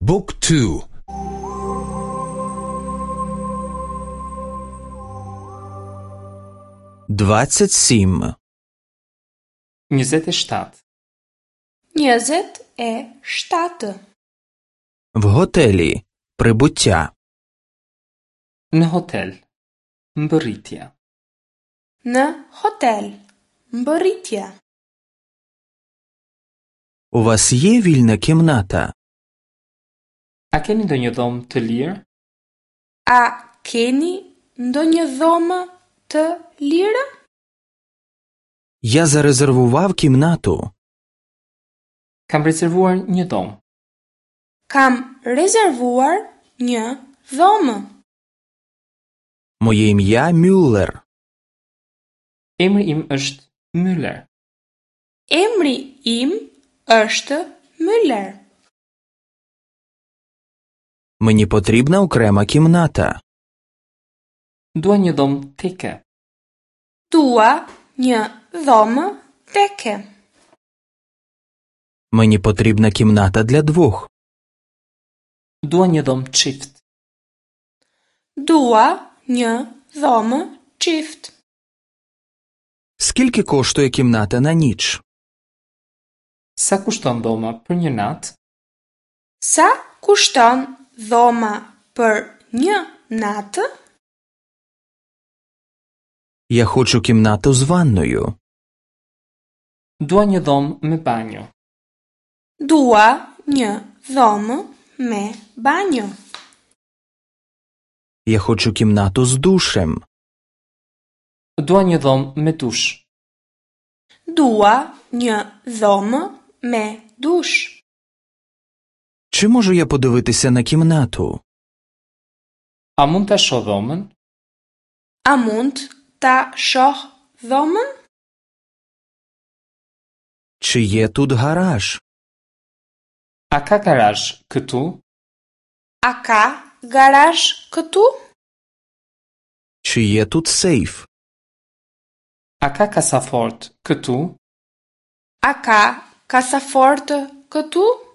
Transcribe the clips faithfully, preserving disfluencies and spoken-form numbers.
Book two. Двадцять сім. Njëzet e shtatë. Njëzet e shtatë. В готелі. Прибуття. Në hotel. Mbërritja. Në hotel. Mbërritja. У вас є вільна кімната? A keni ndonjë dhomë të lirë? A keni ndonjë dhomë të lirë? Я зарезервував кімнату. Kam rezervuar një dhomë. Kam rezervuar një dhomë. Моє ім'я Мюллер. Emri im është Müller. Emri im është Müller. Мені потрібна окрема кімната. Dua një dhomë teke. Dua një dhomë teke. Мені потрібна кімната для двох. Dua një dhomë çift. Dua një dhomë çift. Скільки коштує кімната на ніч? Sa kushton dhoma për një natë? Sa kushton dhoma për një natë? Я хочу кімнату з ванною. Dua një dhomë me banjo. Dua një dhomë me banjo. Я хочу кімнату з душем. Dua një dhomë me dush. Dua një dhomë me dush. Чи можу я подивитися на кімнату? A mund ta shoh dhomën? A mund ta shoh dhomën? Чи є тут гараж? A ka garazh këtu? A ka garazh këtu? Чи є тут сейф? A ka kasafort këtu? A ka kasafortë këtu?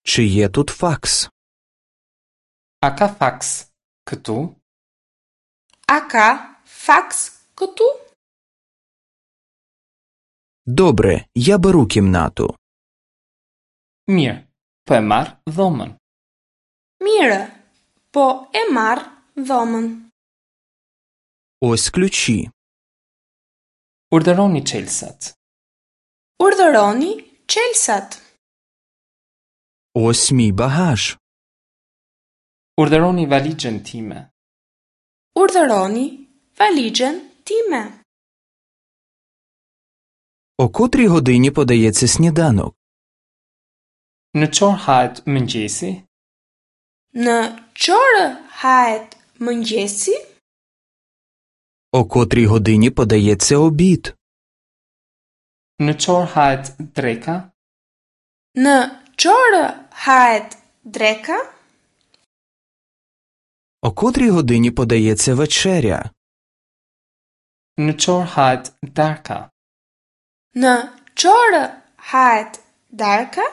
Чи є тут факс? A ka faks këtu? A ka faks këtu? Добре, я беру кімнату. Mirë, po e marr dhomën. Mirë, po e marr dhomën. Ось ключі. Urdhëroni çelësat. Urdhëroni çelësat. Ось мій багаж. Urdhëroni valixhen time. Urdhëroni valixhen time. О котрій годині подається сніданок? Në çorë hahet mëngjesi? Në çorë hahet mëngjesi? О котрій годині подається обід? Në çorë hahet dreka? Në çorë hahet dreka? О котрій годині подається вечеря? Në çorë hahet darka? Në çorë hahet darka?